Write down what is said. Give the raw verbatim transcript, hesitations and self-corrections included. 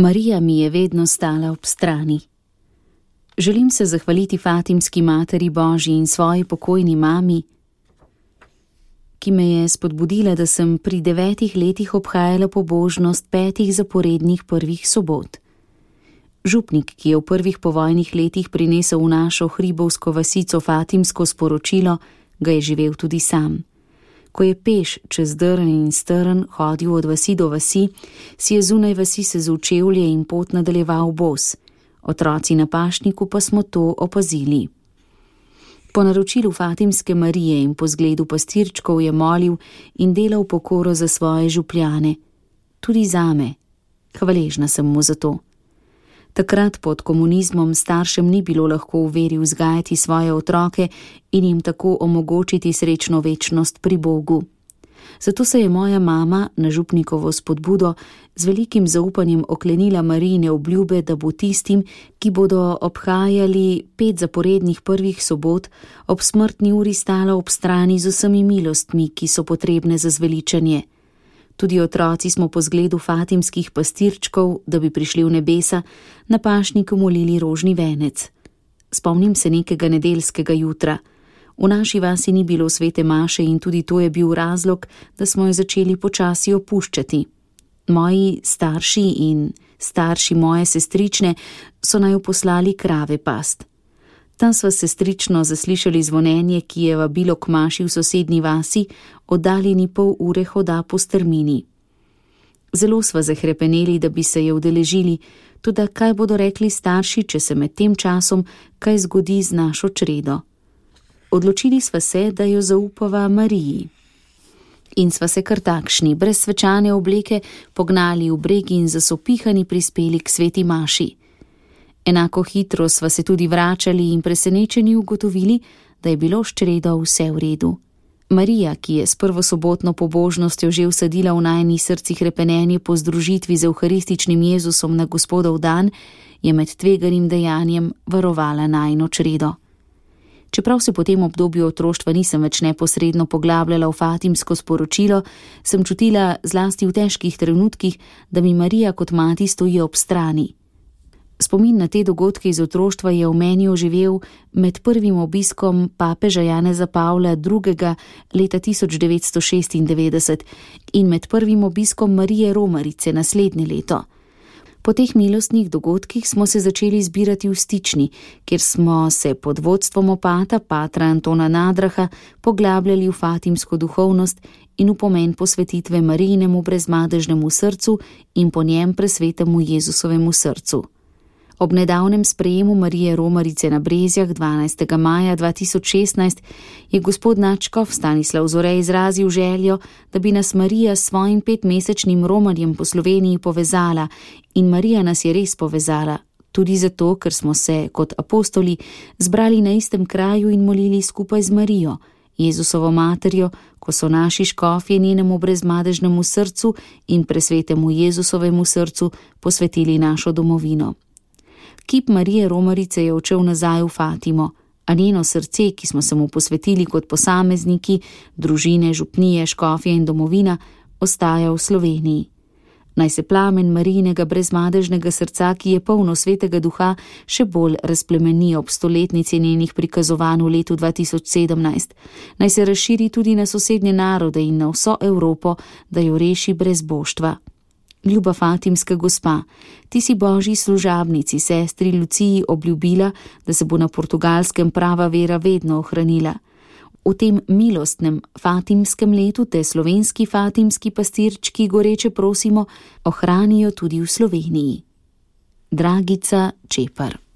Marija mi je vedno stala ob strani. Želim se zahvaliti Fatimski Materi Božji in svoji pokojni mami, ki me je spodbudila, da sem pri devetih letih obhajala pobožnost petih zaporednih prvih sobot. Župnik, ki je v prvih povojnih letih prinesel v našo hribovsko vasico Fatimsko sporočilo, ga je živel tudi sam. Ko je peš čez drn in strn hodil od vasi do vasi, si je zunaj vasi sezul čevlje in pot nadaljeval bos. Otroci na pašniku pa smo to opazili. Po naročilu Fatimske Marije in po zgledu pastirčkov je molil in delal pokoro za svoje župljane. Tudi zame. Hvaležna sem mu za to. Takrat pod komunizmom staršem ni bilo lahko v veri vzgajati svoje otroke in jim tako omogočiti srečno večnost pri Bogu. Zato se je moja mama na župnikovo spodbudo z velikim zaupanjem oklenila Marijine obljube, da bo tistim, ki bodo obhajali pet zaporednih prvih sobot, ob smrtni uri stala ob strani z vsemi milostmi, ki so potrebne za zveličanje. Tudi otroci smo po zgledu fatimskih pastirčkov, da bi prišli v nebesa, na pašniku molili rožni venec. Spomnim se nekega nedeljskega jutra. V naši vasi ni bilo svete maše in tudi to je bil razlog, da smo jo začeli počasi opuščati. Moji starši in starši moje sestrične so naj poslali krave past. Tam sva sestrično zaslišali zvonenje, ki je vabilo k maši v sosednji vasi, oddaljeni pol ure hoda po strmini. Zelo sva zahrepeneli, da bi se je udeležili, toda kaj bodo rekli starši, če se med tem časom kaj zgodi z našo čredo. Odločili sva se, da jo zaupava Mariji. In sva se kar takšni, brez svečane obleke, pognali v breg in zasopihani prispeli k sveti maši. Enako hitro sva se tudi vračali in presenečeni ugotovili, da je bilo s čredo vse v redu. Marija, ki je s prvosobotno pobožnostjo že vsadila v najnih srcih repenenje po združitvi z evharističnim Jezusom na Gospodov dan, je med tveganim dejanjem varovala najino čredo. Čeprav se po tem obdobju otroštva nisem več neposredno poglabljala v fatimsko sporočilo, sem čutila zlasti v težkih trenutkih, da mi Marija kot mati stoji ob strani. Spomin na te dogodke iz otroštva je v meni oživel med prvim obiskom papeža Janeza Pavla drugega. leta tisoč devetsto šestindevetdeset in med prvim obiskom Marije Romarice naslednje leto. Po teh milostnih dogodkih smo se začeli zbirati v Stični, kjer smo se pod vodstvom opata patra Antona Nadraha poglabljali v fatimsko duhovnost in v pomen posvetitve Marijinemu brezmadežnemu srcu in po njem presvetemu Jezusovemu srcu. Ob nedavnem sprejemu Marije Romarice na Brezjah dvanajstega maja dva tisoč šestnajst je gospod nadškof Stanislav Zore izrazil željo, da bi nas Marija s svojim petmesečnim romarjem po Sloveniji povezala, in Marija nas je res povezala, tudi zato, ker smo se kot apostoli zbrali na istem kraju in molili skupaj z Marijo, Jezusovo materjo, ko so naši škofje njenemu brezmadežnemu srcu in presvetemu Jezusovemu srcu posvetili našo domovino. Kip Marije Romarice je odšel nazaj v Fatimo, a njeno srce, ki smo se mu posvetili kot posamezniki, družine, župnije, škofje in domovina, ostaja v Sloveniji. Naj se plamen Marijinega brezmadežnega srca, ki je polno svetega duha, še bolj razplemeni ob stoletnici njenih prikazovanj v letu dva tisoč sedemnajst. Naj se razširi tudi na sosednje narode in na vso Evropo, da jo reši brezboštva. Ljuba Fatimska gospa, ti si Božji služabnici, sestri Luciji obljubila, da se bo na Portugalskem prava vera vedno ohranila. V tem milostnem fatimskem letu te slovenski fatimski pastirčki goreče prosimo, ohranijo tudi v Sloveniji. Dragica Čepar.